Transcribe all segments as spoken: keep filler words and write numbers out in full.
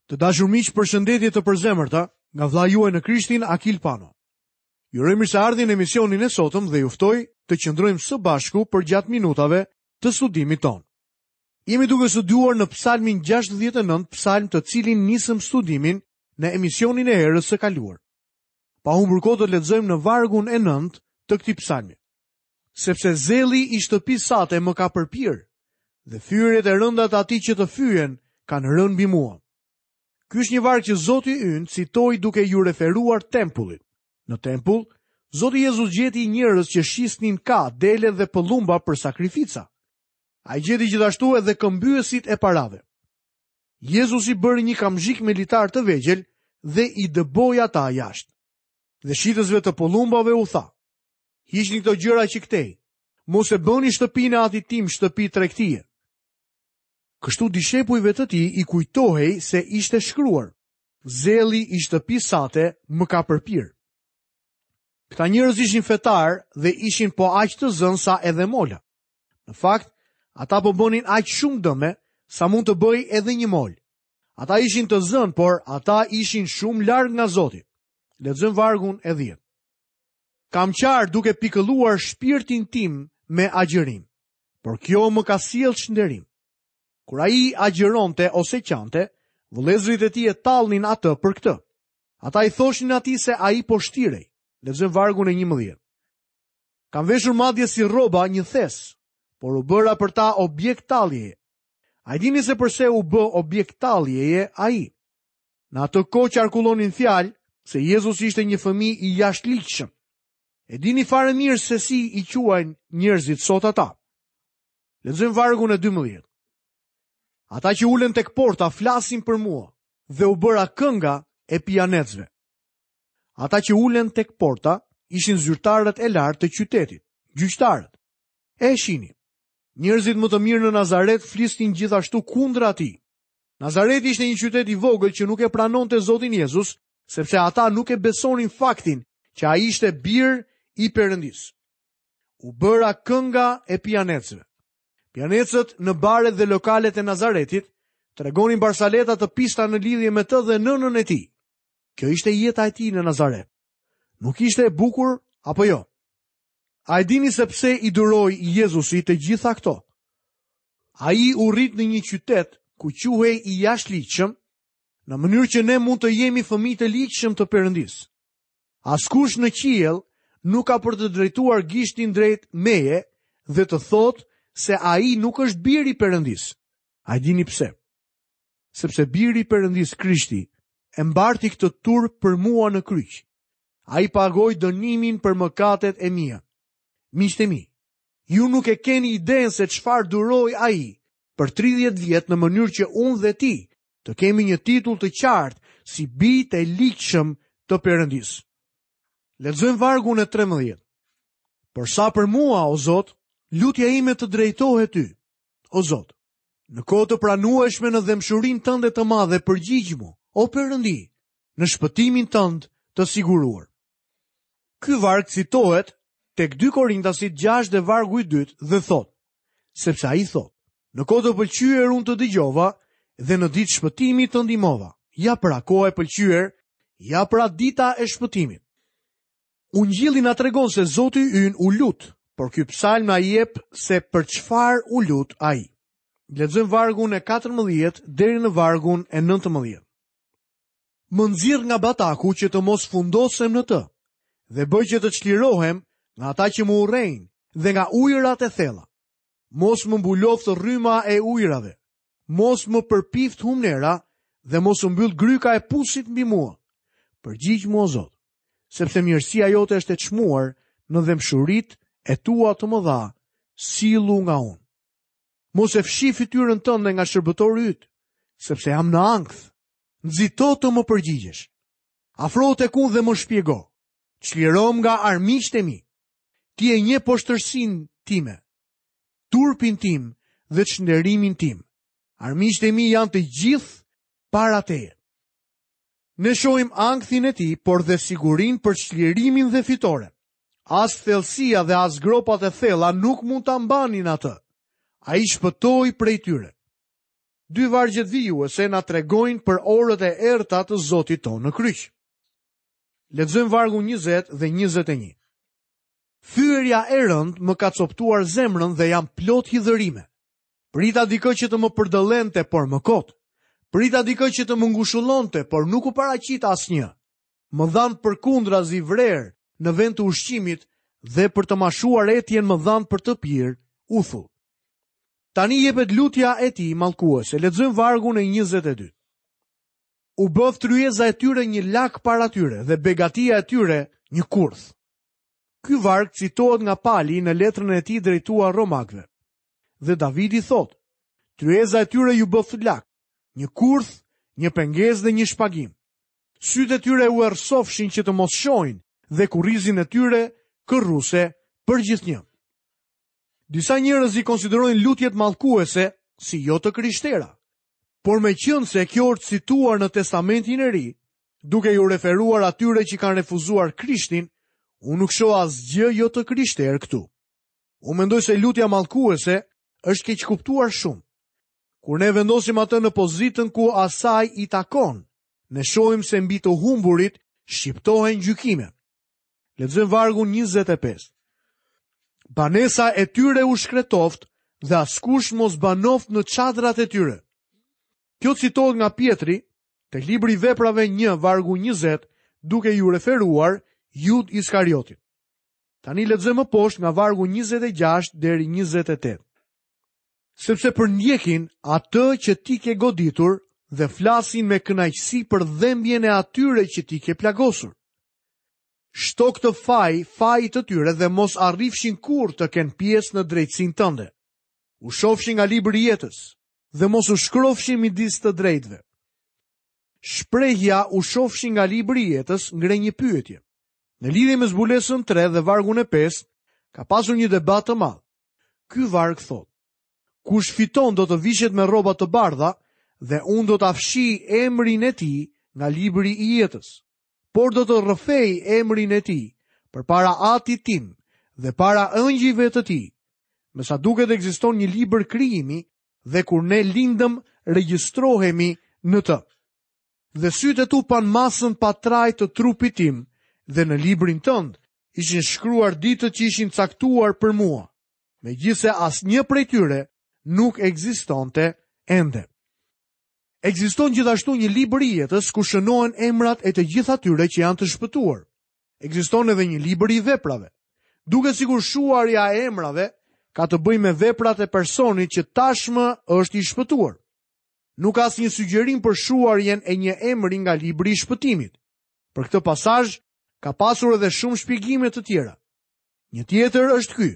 Të dashur miq, përshëndetje të përzemërta nga vëllai juaj në Krishtin Akil Pano. Ju uroj mirëseardhjen në emisionin e sotëm dhe ju ftoj të qëndrojmë së bashku përgjatë minutave të studimit tonë. Jemi duke studiuar në Psalmin gjashtëdhjetë e nëntë, psalm të cilin nisëm studimin në emisionin e herës së kaluar. Pa humbur kohë do të lexojmë në vargun e nëntë të këtij psalmi. Sepse zelli i shtëpisë sate më ka përpirë dhe fyerjet e rënda të atij që të fyen kanë rënë mbi mua. Ky është një varg që Zoti ynë citoi duke iu referuar tempullit. Në tempull, Zoti Jezus gjeti njerëz që shisnin ka, dele dhe pëllumba për sakrifica. Ai gjeti gjithashtu edhe këmbyesit e parave. Jezusi bëri një kamzhik me litar të vegjël dhe i dëboi ata jashtë. Dhe shitësve të pëllumbave u tha: Hiqni këto gjëra që këtej, mos e bëni shtëpinë e atit tim shtëpi tregtie. Kështu dishepujve të tij i kujtohej se ishte shkruar: Zelli i shtëpisë sate më ka përpirë. Këta njerëz ishin fetar dhe ishin po aq të zënë sa edhe mola. Në fakt, ata po bënin aq shumë dëme sa mund të bëj edhe një mol. Ata ishin të zënë, por ata ishin shumë larg nga Zoti. Lexojmë vargun e dhjetë. Kam qarë duke pikëlluar shpirtin tim me agjërim, por kjo më ka sjellë çnderim. Kur ai agjëronte ose qante, vëllezërit e tij e tallnin atë për këtë. Ata i thoshin atij se ai po shtirej. Lexojmë vargun e njëmbëdhjetë. Kam veshur madje si rroba një thes, por u bëra për ta objekt talljeje. A e dini se përse u bë objekt talljeje ai? Në atë kohë qarkullonin fjalë se Jezus ishte një fëmijë i jashtëligjshëm. E dini fare mirë se si i quajnë njerëzit sot ata. Lexojmë vargun e dymbëdhjetë. Ata që ulen tek porta flasin për mua dhe u bëra kënga e pijanecëve. Ata që ulen tek porta ishin zyrtarët e lartë të qytetit, gjyqtarët. E shihni, njerëzit më të mirë në Nazaret flisnin gjithashtu kundra atij. Nazareti ishte një qytet i vogël që nuk e pranonte Zotin Jezus, sepse ata nuk e besonin faktin që ai ishte bir i Perëndisë. U bëra kënga e pijanecëve. Pijanecët në baret dhe lokalet e Nazaretit tregonin barsaleta të pista në lidhje me të dhe nënën e tij. Kjo ishte jeta e tij në Nazaret. Nuk ishte e bukur apo jo? A e dini se pse i duroi Jezusi të gjitha këto? Ai u rrit në një qytet ku quhej i jashtëligjshëm, në mënyrë që ne mund të jemi fëmijë të ligjshëm të Perëndisë. Askush në qiell nuk ka për të drejtuar gishtin drejt meje dhe të thotë se ai nuk është biri i Perëndisë. A e dini pse? Sepse biri i Perëndisë Krishti e mbarti këtë turp për mua në kryq. Ai pagoi dënimin për mëkatet e mia. Miqtë e mi, ju nuk e keni idenë se çfarë duroi ai për tridhjetë vjet në mënyrë që unë dhe ti të kemi një titull të qartë si bijtë e ligjshëm të Perëndisë. Lexojmë vargun e trembëdhjetë. Por sa për mua, o Zot, lutja ime të drejtohet ty, o Zot. Në kohë të pranueshme në dhembshurinë tënde të madhe përgjigj-mu, o Perëndi, në shpëtimin tënd të siguruar. Ky varg citohet tek dy Korintasit gjashtë dhe vargu i dytë dhe thotë, sepse ai thotë, në kohë të pëlqyer unë të dëgjova dhe në ditë shpëtimi të ndihmova. Ja pra koha e pëlqyer, ja pra dita e shpëtimit. Ungjilli na tregon se Zoti ynë u lut, por ky psalm na jep se për çfarë u lut ai. Lexojmë vargun e katërmbëdhjetë deri në vargun e nëntëmbëdhjetë. Më nxirr nga bataku që të mos fundosem në të, dhe bëj që të çlirohem nga ata që më urrejnë dhe nga ujërat e thella. Mos më mbuloftë rryma e ujërave, mos më përpift humnera dhe mos u mbyll gryka e pusit mbi mua. Përgjigj mua, o Zot, sepse mirësia jote është e çmuar në dhembshuritë e tua të mëdha, sillu nga unë. Mos e fshi fytyrën tënde nga shërbëtori yt, sepse jam në ankth. Nxito të më përgjigjesh. Afrohu tek unë dhe më shpjego. Çlirom nga armiqtë e mi. Ti e njeh poshtërsinë time, turpin tim dhe çnderimin tim. Armiqtë e mi janë të gjithë para teje. Ne shohim ankthin e tij, por dhe sigurinë për çlirimin dhe fitoren. As thellësia dhe as gropat e thella nuk mund ta mbanin atë. Ai shpëtoi prej tyre. Dy vargjet vijuese na tregojnë për orët e errëta të Zotit tonë në kryq. Lexojmë vargun njëzet dhe njëzet e një. Fyerja e rëndë më ka coptuar zemrën dhe jam plot hidhërime. Prita dikë që të më përdëllente, por më kot. Prita dikë që të më ngushullonte, por nuk u paraqit asnjë. Më dhanë përkundrazi vrer në vend të ushqimit dhe për të mashuar etjen më dhanë për të pirë uthull. Tani jepet lutja e tij mallkuese. Lexojmë vargun e njëzet e dy. U bëf tryeza e tyre një lak para tyre dhe begatia e tyre një kurth. Ky varg citohet nga Pali në letrën e tij drejtuar Romakëve. Dhe Davidi thotë: Tryeza e tyre ju bëf lak, një kurth, një pengesë dhe një shpagim. Sytë e tyre u errësofshin që të mos shohin dhe kurrizin e tyre kërruse përgjithnjë. Disa njerëz i konsiderojnë lutjet mallkuese si jo të krishtera. Por meqense kjo është cituar në Testamentin e Ri, duke ju referuar atyre që kanë refuzuar Krishtin, unë nuk shoh asgjë jo të krishterë këtu. Unë mendoj se lutja mallkuese është keqkuptuar shumë. Kur ne vendosim atë në pozitën ku asaj i takon, ne shohim se mbi të humburit shqiptohen gjykime. Lexojmë vargun njëzet e pesë. Banesa e tyre u shkretoft dhe askush mos banoft në çadrat e tyre. Kjo citohet nga Pjetri, tek libri i Veprave një, vargu njëzet, duke ju referuar Jud Iskariotit. Tani lexojmë më poshtë nga vargu njëzet e gjashtë deri njëzet e tetë. Sepse përndjekin atë që ti ke goditur dhe flasin me kënaqësi për dhembjen e atyre që ti ke plagosur. Shto këtë faj, fajit të tyre dhe mos arrifshin kurrë të kenë pjesë në drejtësinë tënde. U shofshin nga libri i jetës dhe mos u shkrofshin midis të drejtëve. Shprehja u shofshin nga libri i jetës ngre një pyetje. Në lidhje me zbulesën tre dhe vargun e pesë, ka pasur një debat të madh. Ky varg thotë: Kush fiton do të vishet me rroba të bardha dhe unë do ta fshij emrin e tij nga libri i jetës, por do të rrëfej emrin e tij përpara Atit tim dhe para ëngjëjve të tij. Me sa duket ekziston një libër krijimi dhe kur ne lindëm regjistrohemi në të. Dhe sytë e tu pan masën pa trajt të trupit tim dhe në librin tënd ishin shkruar ditët që ishin caktuar për mua, megjithse asnjë prej tyre nuk ekzistonte ende. Ekziston gjithashtu një libër i jetës ku shënohen emrat e të gjithë atyre që janë të shpëtuar. Ekziston edhe një libër i veprave. Duket sikur shuarja e emrave ka të bëjë me veprat e personit që tashmë është i shpëtuar. Nuk ka asnjë sugjerim për shuarjen e një emri nga libri i shpëtimit. Për këtë pasazh ka pasur edhe shumë shpjegime të tjera. Një tjetër është ky: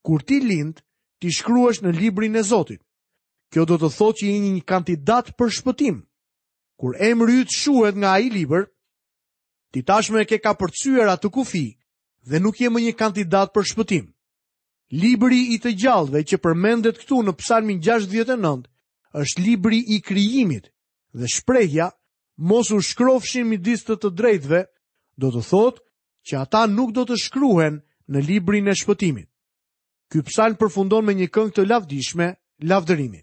kur ti lind, ti shkruhesh në librin e Zotit. Kjo do të thotë që je një kandidat për shpëtim. Kur emri yt shuhet nga ai libër, ti tashmë e ke kapërcyer atë kufi dhe nuk je më një kandidat për shpëtim. Libri i të gjallëve që përmendet këtu në Psalmin gjashtëdhjetë e nëntë është libri i krijimit dhe shprehja mos u shkrofshin midis të të drejtëve do të thotë që ata nuk do të shkruhen në librin e shpëtimit. Ky psalm përfundon me një këngë të lavdishme lavdërimi.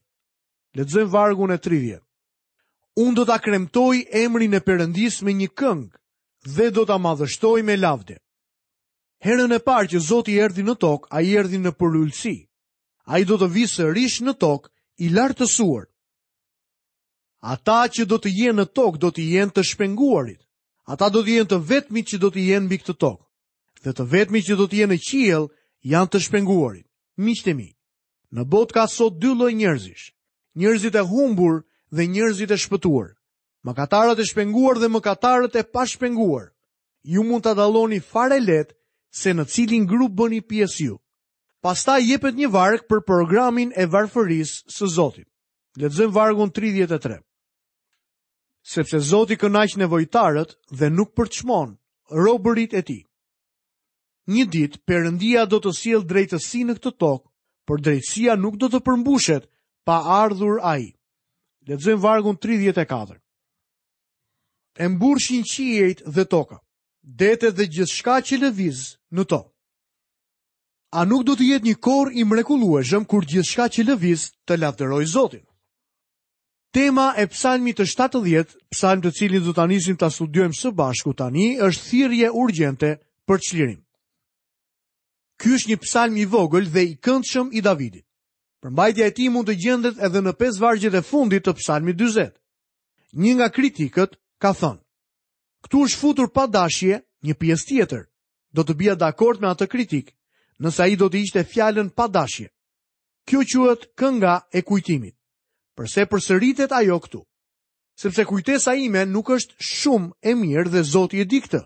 Lexojmë vargun e tridhjetë. Unë do ta kremtoj emrin e Perëndisë me një këngë dhe do ta madhështoj me lavde. Herën e parë që Zoti erdhi në tokë, ai erdhi në përulësi. Ai do të vijë sërish në tokë i lartësuar. Ata që do të jenë në tokë do të jenë të shpenguarit. Ata do të jenë të vetmit që do të jenë mbi këtë tokë. Dhe të vetmit që do të jenë në qiell janë të shpenguarit. Miqtë e mi, në botë ka sot dy lloj njerëzish: njerëzit e humbur dhe njerëzit e shpëtuar. Mëkatarët e shpenguar dhe mëkatarët e pashpenguar. Ju mund ta dalloni fare lehtë se në cilin grup bëni pjesë ju. Pastaj jepet një varg për programin e varfërisë së Zotit. Lexojmë vargun tridhjetë e tre. Sepse Zoti kënaq nevojtarët dhe nuk përçmon robërit e tij. Një ditë Perëndia do të sjellë drejtësi në këtë tokë, por drejtësia nuk do të përmbushet pa ardhur ai. Lexojmë vargun tridhjetë e katër. E mburshin qiejt dhe toka, detet dhe gjithçka që lëviz në to. A nuk do të jetë një kor i mrekullueshëm kur gjithçka që lëviz të lavdërojë Zotin? Tema e psalmit të shtatëdhjetë, psalm të cilin do ta nisim ta studiojmë së bashku tani, është thirrje urgjente për çlirim. Ky është një psalm i vogël dhe i këndshëm i Davidit. Përmbajtja e tij mund të gjendet edhe në pesë vargjet e fundit të psalmit dyzet. Një nga kritikët ka thënë: "Këtu është futur pa dashje një pjesë tjetër." Do të bija dakord me atë kritik, nëse ai do të ishte fjalën pa dashje. Kjo quhet kënga e kujtimit. Përse përsëritet ajo këtu? Sepse kujtesa ime nuk është shumë e mirë dhe Zoti e di këtë.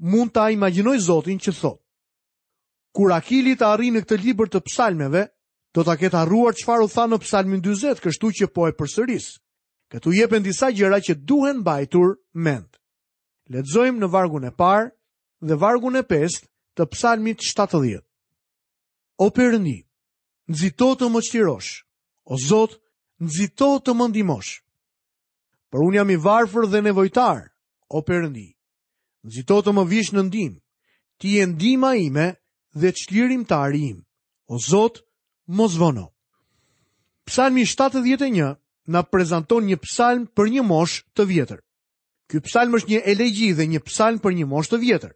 Mund ta imagjinoj Zotin që thotë: Kur Akili të arrijë në këtë libër të psalmeve, do ta ketë harruar çfarë u tha në psalmin dyzet, kështu që po e përsëris. Këtu jepen disa gjëra që duhen mbajtur mend. Lexojmë në vargun e parë dhe vargun e pestë të psalmit shtatëdhjetë. O Perëndi, nxito të më çlirosh. O Zot, nxito të më ndihmosh. Por unë jam i varfër dhe nevojtar, o Perëndi. Nxito të më vish në ndihmë. Ti je ndihma ime dhe çlirimtari im. O Zot, mos vono. Psalmi shtatëdhjetë e një na prezanton një psalm për një moshë të vjetër. Ky psalm është një elegji dhe një psalm për një moshë të vjetër.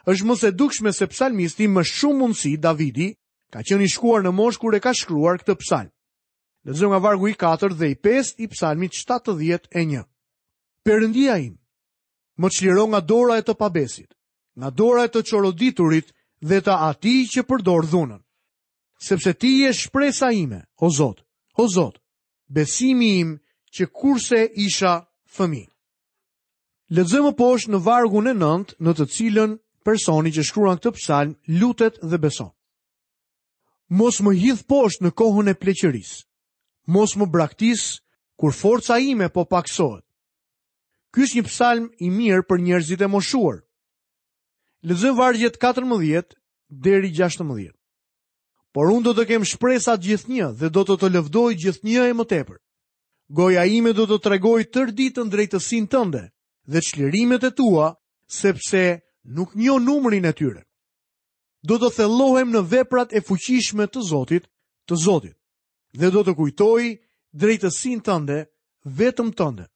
Është më se dukshme se psalmisti më shumë mundësi Davidi ka qenë i shkuar në moshë kur e ka shkruar këtë psalm. Lexojmë nga vargu i katërt dhe i pestë i psalmit shtatëdhjetë e një. Perëndia im, më çliro nga dora e të pabesit, nga dora e të çoroditurit dhe të atij që përdor dhunën. Sepse ti je shpresa ime, o Zot, o Zot, besimi im që kurse isha fëmijë. Lexojmë poshtë në vargun e nëntë, në të cilën personi që shkruan këtë psalm lutet dhe beson. Mos më hidh poshtë në kohën e pleqërisë. Mos më braktis kur forca ime po paksohet. Ky është një psalm i mirë për njerëzit e moshuar. Lexojmë vargjet katërmbëdhjetë deri gjashtëmbëdhjetë. Por unë do të kem shpresa gjithnjë dhe do të të lëvdoj gjithnjë e më tepër. Goja ime do të tregoj tërë ditën drejtësinë tënde dhe çlirimet e tua, sepse nuk njoh numrin e tyre. Do të thellohem në veprat e fuqishme të Zotit, të Zotit, dhe do të kujtoj drejtësinë tënde, vetëm tënde.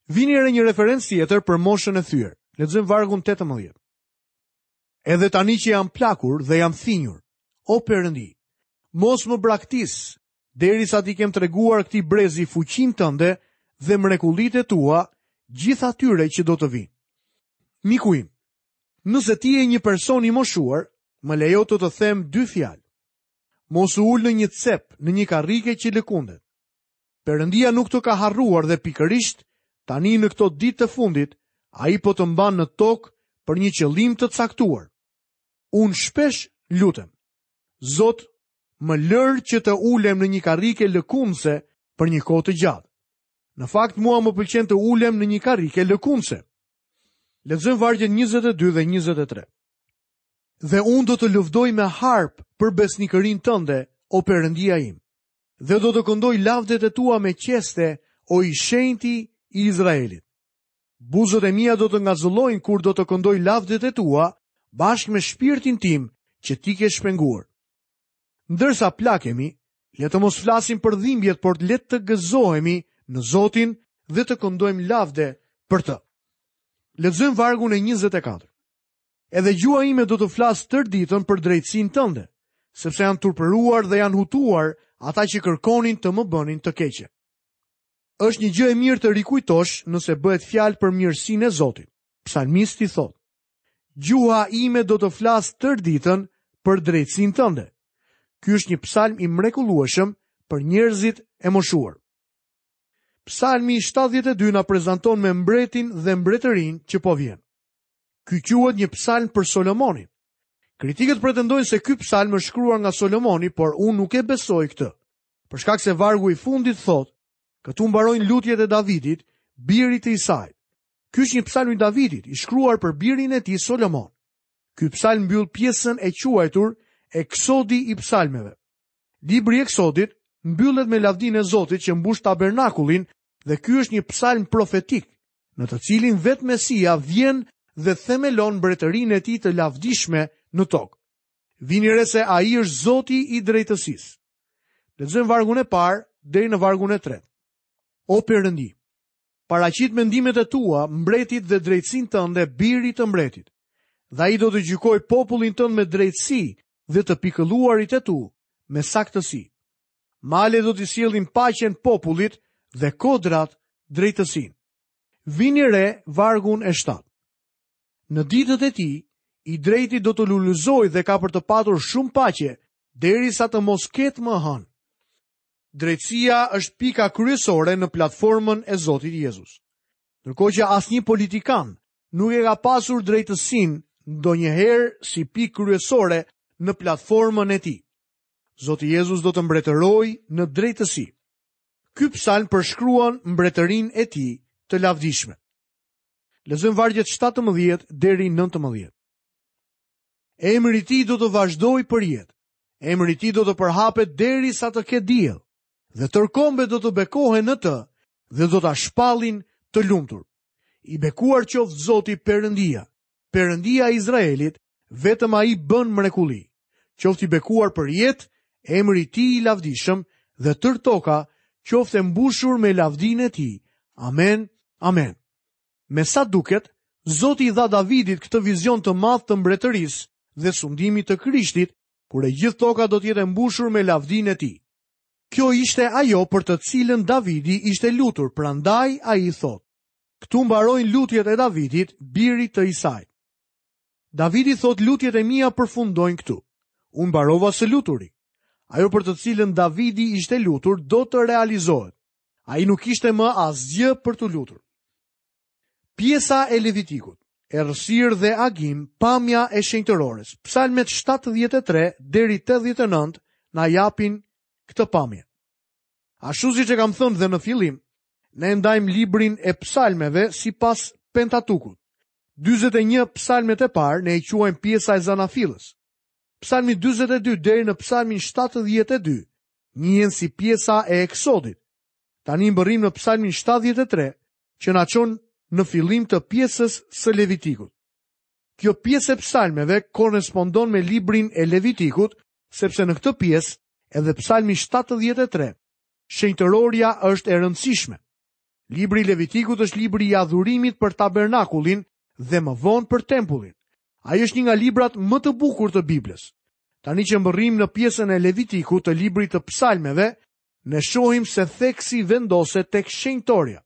Vini re një referencë tjetër për moshën e thyer. Lexojmë vargun tetëmbëdhjetë. Edhe tani që jam plakur dhe jam thinjur, o Perëndi, mos më braktis, derisa ti kem treguar këtij brezi fuqinë tënde dhe mrekullitë e tua, gjithë atyre që do të vinë. Miku im, nëse ti je një person i moshuar, më lejo të të them dy fjalë. Mos u ul në një cep, në një karrike që lëkundet. Perëndia nuk të ka harruar dhe pikërisht tani në këto ditë të fundit, ai po të mban në tokë për një qëllim të caktuar. Unë shpesh lutem: Zot, më lër që të ulem në një karrike lëkundse për një kohë të gjatë. Në fakt, mua më pëlqen të ulem në një karrike lëkundse. Lexojmë vargjet njëzet e dy dhe njëzet e tre. Dhe unë do të lëvdoj me harp për besnikërinë tënde, o Perëndia im, dhe do të këndoj lavdet e tua me qeste, o i shenjti i Izraelit. Buzët e mia do të ngazëllojnë kur do të këndoj lavdet e tua, bashkë me shpirtin tim që ti ke shpenguar. Ndërsa plakemi, le të mos flasim për dhimbjet, por le të gëzohemi në Zotin dhe të këndojmë lavde për të. Lexojmë vargun e njëzet e katër. Edhe gjuha ime do të flasë tërë ditën për drejtësinë tënde, sepse janë turpëruar dhe janë hutuar ata që kërkonin të më bënin të keqe. Është një gjë e mirë të rikujtosh nëse bëhet fjalë për mirësinë e Zotit. Psalmisti thotë: Gjuha ime do të flasë tërë ditën për drejtësinë tënde. Ky është një psalm i mrekullueshëm për njerëzit e moshuar. Psalmi shtatëdhjetë e dy na prezanton me mbretin dhe mbretërinë që po vjen. Ky quhet një psalm për Solomonin. Kritikët pretendojnë se ky psalm është shkruar nga Solomoni, por unë nuk e besoj këtë. Për shkak se vargu i fundit thotë, këtu mbarojnë lutjet e Davidit, birit të Isait. Ky është një psalm i Davidit, i shkruar për birin e tij Solomon. Ky psalm mbyll pjesën e quajtur Eksodi i psalmeve. Libri i Eksodit mbyllet me lavdinë e Zotit që mbush tabernakullin dhe ky është një psalm profetik, në të cilin vetë Mesia vjen dhe themelon mbretërinë e tij të lavdishme në tokë. Vini re se ai është Zoti i drejtësisë. Lexojmë vargun e parë deri në vargun e tretë. O Perëndi, paraqit mendimet e tua mbretit dhe drejtësinë tënde birit të mbretit. Dhe ai do të gjykojë popullin tënd me drejtësi dhe të pikëlluarit e tu me saktësi. Male do t'i sjellin paqen popullit dhe kodrat drejtësinë. Vini re vargun e shtatë. Në ditët e tij, i drejti do të lulëzojë dhe ka për të patur shumë paqe, derisa të mos ketë më hënë. Drejtësia është pika kryesore në platformën e Zotit Jezus. Ndërkohë që asnjë politikan nuk e ka pasur drejtësinë ndonjëherë si pikë kryesore në platformën e tij. Zoti Jezus do të mbretërojë në drejtësi. Ky psalm përshkruan mbretërinë e tij të lavdishme. Lexojmë vargjet shtatëmbëdhjetë deri nëntëmbëdhjetë. Emri i tij do të vazhdojë për jetë. Emri i tij do të përhapet derisa të ketë diell, dhe tërë kombet do të bekohen në të dhe do ta shpallin të lumtur. I bekuar qoftë Zoti Perëndia, Perëndia e Izraelit, vetëm ai bën mrekulli. Qoftë i bekuar për jetë emri i tij i lavdishëm dhe tërë toka qoftë e mbushur me lavdinë e tij. Amen. Amen. Me sa duket, Zoti i dha Davidit këtë vizion të madh të mbretërisë dhe sundimit të Krishtit, kur e gjithë toka do të jetë e mbushur me lavdinë e tij. Kjo ishte ajo për të cilën Davidi ishte lutur, prandaj ai thotë: Këtu mbarojnë lutjet e Davidit, birit të Isait. Davidi thotë: lutjet e mia përfundojnë këtu. Unë mbarova së luturi. Ajo për të cilën Davidi ishte lutur do të realizohet. Ai nuk kishte më asgjë për të lutur. Pjesa e Levitikut, errësirë dhe agim, pamja e shenjtërores. Psalmet shtatëdhjetë e tre deri tetëdhjetë e nëntë na japin këtë pamje. Ashtu siç e kam thënë dhe në fillim, ne ndajmë librin e psalmeve sipas Pentatukut. dyzet e një psalmet e parë ne i quajmë pjesa e zanafillës. Psalmi dyzet e dy deri në psalmin shtatëdhjetë e dy njihen si pjesa e Eksodit. Tani mbërrim në psalmin shtatëdhjetë e tre, që na çon në fillim të pjesës së Levitikut. Kjo pjesë e psalmeve korrespondon me librin e Levitikut, sepse në këtë pjesë edhe psalmi shtatëdhjetë e tre, shenjtërorja është e rëndësishme. Libri i Levitikut është libri i adhurimit për tabernakullin dhe më vonë për tempullin. Ai është një nga librat më të bukur të Biblës. Tani që mbërrim në pjesën e Levitikut të librit të psalmeve, ne shohim se theksi vendoset tek shenjtorja.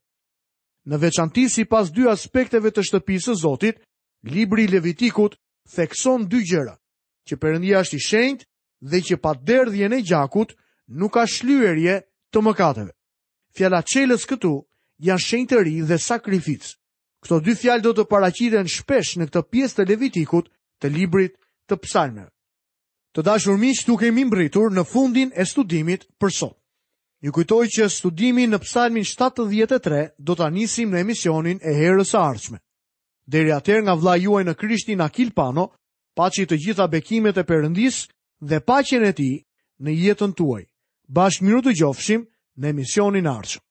Në veçanti sipas dy aspekteve të shtëpisë së Zotit, libri i Levitikut thekson dy gjëra, që Perëndia është i shenjtë dhe që pa derdhjen e gjakut nuk ka shlyerje të mëkateve. Fjala çelës këtu janë shenjtëri dhe sakrificë. Këto dy fjalë do të paraqiten shpesh në këtë pjesë të Levitikut të librit të psalmeve. Të dashur miq, këtu kemi mbërritur në fundin e studimit për sot. Ju kujtoj që studimin në psalmin shtatëdhjetë e tre do ta nisim në emisionin e herës së ardhshme. Deri atëherë nga vëllai juaj në Krishtin Akil Pano, paçi të gjitha bekimet e Perëndisë dhe paqen e tij në jetën tuaj. Bashkë mirë u dëgjofshim në emisionin e ardhshëm.